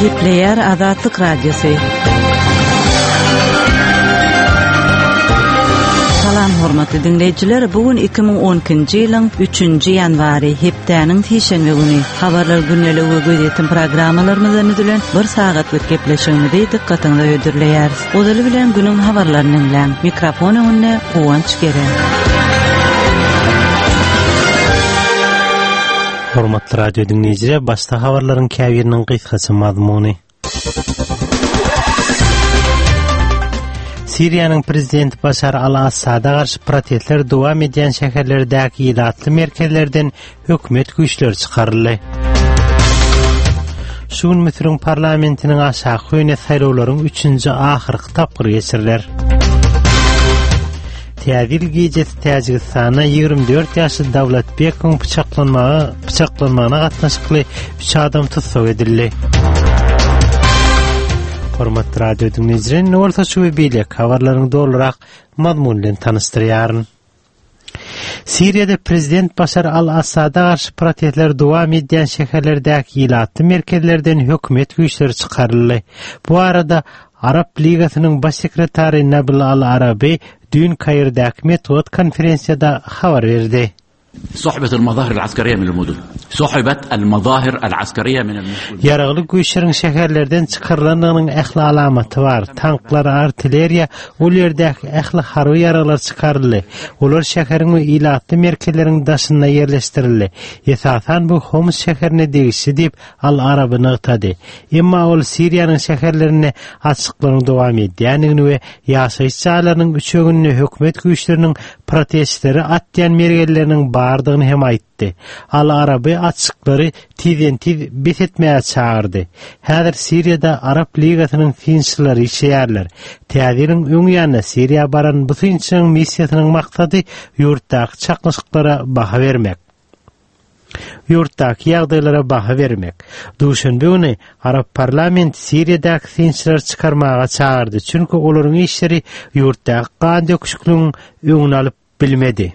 Gepleýär Azatlyk Radiosy. Salam hormatly diňleýjiler, bu gün 2012-nji ýylyň 3-nji ýanwary, hepdäniň sişenbe güni. Habarlar gündeligi we gözýetim programmalarymyzdan düzülen bir sagatlyk gepleşigimizi dykgatyňyza hödürleýäris. Ozaly bilen günüň habarlaryny diňläň. Mikrofon öňünde Guwanç Geren. Hormatly radio diňleýjiler, başda habarlaryň käbiriniň gysgaça mazmuny. Siriýanyň prezidenti Başar al-Assada garşy protestler dowam edýän şäherlerdäki ilatly merkezlerden hökümet güýçleri çykaryldy. Şu gün Müsüriň parlamentiniň aşaky öýüne saýlawlaryň üçünji ahyrky tapgyry geçiriler. Täze ýyl gijesi Täjigistanda 24 ýaşly Dawlatbekowyň pyçaklanmaga pyçaklanmagyna gatnaşykly 3 adam tussag edildi. Hormatly radio diňleýjiler, indi bolsa şu we beýleki habarlaryň dolurak mazmuny bilen tanyşdyrýaryn. Siriýada prezident Başar al-Assada garşy protestler dowam edýän şäherlerdäki ilatly merkezlerden hökümet güýçleri çykaryldy. Bu barada Arap Ligasynyň baş sekretary Nabil al-Arabi düýn Kairdäki metbugat konferensiýada habar berdi. Suhbet al-mazahir al-askariýa min al-mudun. Suhbet al-mazahir al-askariýa min al-mudun. Ýaragly güýçleriň şäherlerden çykarylandygynyň ähli alamaty bar. Tanklar, artilleriýa, ol ýerdäki ähli harby ýaraglar çykaryldy. Olar şäheriň we ilatly merkezleriň daşynda ýerleşdirildi. Esasan bu Homs şäherine degişli diýip, Al-Araby nygtady. Emma ol Siriýanyň şäherlerinde açyklaryň dowam edýändigini we ýaşaýyş jaýlarynyň üçeginde hökümet güýçleriniň protestçilere atýan mergenleriniň bardygyny hem aýtdy. Al-Araby açyklary tizden-tiz bes etmäge çagyrdy. Häzir Siriýada Arap Ligasynyň synçylary işleýärler. Täze ýylyň öň ýanynda Siriýa baran bu synçynyň missiýasynyň maksady ýurtdaky çaknyşyklara baha bermek. Ýurtdaky ýagdaýlara baha bermek. Duşenbe güni Arap parlamenti Siriýadaky synçylary çykarmaga çagyrdy, çünki olaryň işleri ýurtdaky gan döküşikligiň öňüni alyp bilmedi.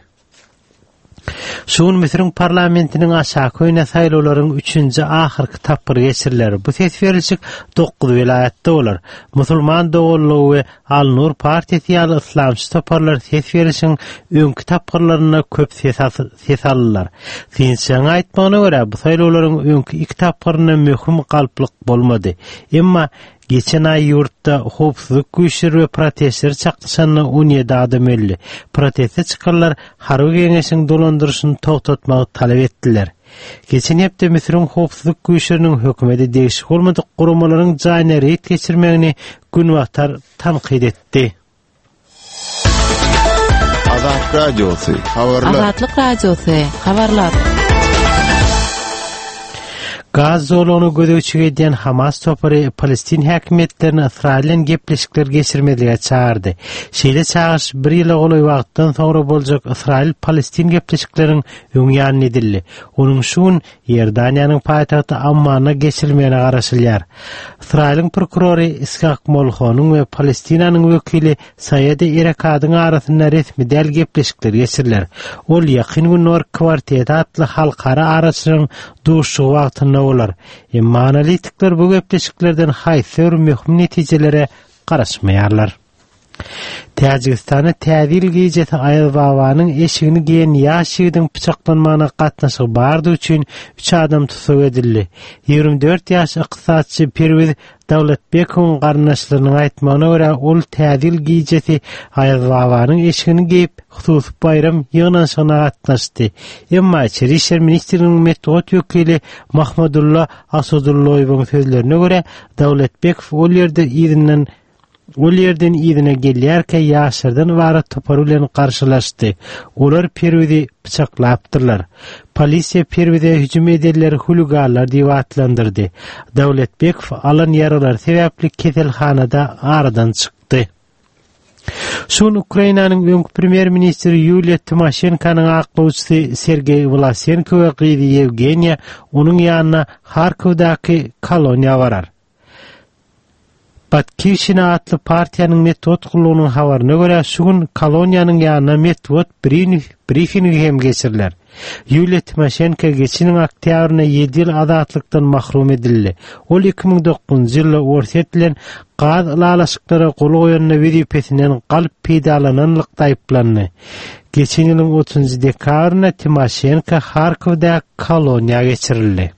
Şu gün Müsüriň parlamentiniň aşaky öýüne saýlawlaryň üçünji ahyrky tapgyry geçiriler. Bu ses berlişik dokuz welaýatda bolar. Musulman doganlygy we Al-Nur partiýasy ýaly yslamçy toparlar ses berişiň öňki tapgyrlarynda köp ses ses aldylar. Synçylaryň aýtmagyna görä, bu saýlawlaryň öňki iki tapgyrynda möhüm galplyk bolmady. Emma geçen aý ýurtda howpsuzlyk güýçleri we protestçiler çaknyşanda 17 adam öldi. Proteste çykanlar harby geňeşiň dolandyryşyny togtatmagy talap etdiler. Geçen hepde Müsüriň howpsuzlyk güýçleriniň hökümete degişli bolmadyk guramalaryň jaýyna reýd geçirmegini Günbatar tankyt etdi. Azat Radiosy, habarlar. Azatlyk Radiosy, habarlar. Gaz zolagyna gözegçilik edýän Hamas topary palestin häkimiýetlerini Ysraýyl bilen gepleşikler geçirmezlige çagyrdy. Şeýle çagyryş bir ýyla golaý wagtdan soňra boljak Ysraýyl-Palestin gepleşikleriň öň ýanynda edildi. Onuň şu gün Iordaniýanyň paýtagty Ammanda geçirilmegine garaşylýar. Ysraýylyň prokurory Ishak Molhonyň we Palestinanyň wekili Saýedi Erekadyň arasynda resmi däl gepleşikler geçiriler. Ol Ýakyn Gündogar kwarteti atly halkara araçylaryň duşuşygy wagtynda bolar. Emma analitikler bu gepleşiklerden haýsy bir möhüm netijelere garaşmaýarlar. Täjigistanda Täze ýyl gijesi Aýazbabanyň eşigini geýen ýaş ýigidiň pyçaklanmagyna gatnaşygy bardygy üçin üç adam tussag edildi. 24 ýaşly ykdysatçy Perwiz Dawletbekowyň garyndaşlarynyň aýtmagyna görä, ol Täze ýyl gijesi Aýazbabanyň eşigini geýip, hususy baýram ýygnanyşygyna gatnaşdy. Emma Içeri işler ministrliginiň metbugat wekili Mahmadulla Asodulloýewiň sözlerine görä, Dawletbekow ol ýerde yzyndan Ol ýerden yzyna gelýärkä ýaşlardan ybarat topar bilen garşylaşdy. Olar Perwizi pyçaklapdyrlar. Polisiýa Perwize hüjüm edenleri huliganlar diýip atlandyrdy. Dawletbekow alan ýaralary sebäpli keselhanada aradan çykdy. Şu gün Ukrainanyň öňki premýer-ministri Ýuliýa Timoşenkonyň aklawçysy Sergeý Wlasenko we gyzy Ýewgeniýa onuň ýanyna Harkowdaky koloniýa barar. Batkivşina atly partiýanyň metbugat gullugynyň habaryna görä, şu gün koloniýanyň ýanynda metbugat brifingi hem geçiriler. Ýuliýa Timoşenko geçen ýylyň oktýabrynda ýedi ýyl azatlykdan mahrum edildi. Ol 2009-njy ýylda Orsýet bilen gaz ylalaşyklara gol goýanda wezipesinden galp peýdalananlykda aýyplandy. Geçen ýylyň otuzynjy dekabrynda Timoşenko Harkowdaky koloniýa geçirildi.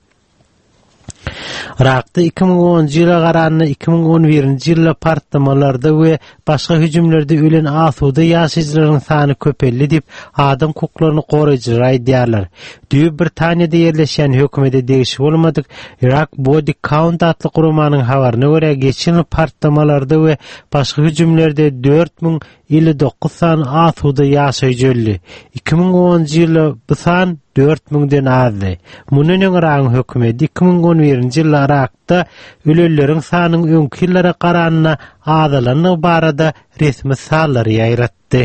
Yrakda 2010-njy ýyla garanda 2011-nji ýylda partlamalarda we başga hüjümlerde ölen asuda ýaşaýjylaryň sany köpeldi diýip, adam hukuklaryny goraýjylar aýdýarlar. Düýbi Britaniýada ýerleşýän hökümete degişli bolmadyk Iraq Body Count atly guramanyň habaryna görä, geçen ýyl partlamalarda we başga hüjümlerde 4059 sany asuda ýaşaýjy öldi. 2010-njy ýylda bu san 4 müňden azdy. Mundan öň Yragyň hökümeti 2011-nji ýylda Yrakda ölenleriň sanynyň öňki ýyllara garanda azalandygy barada resmi sanlary ýaýratdy.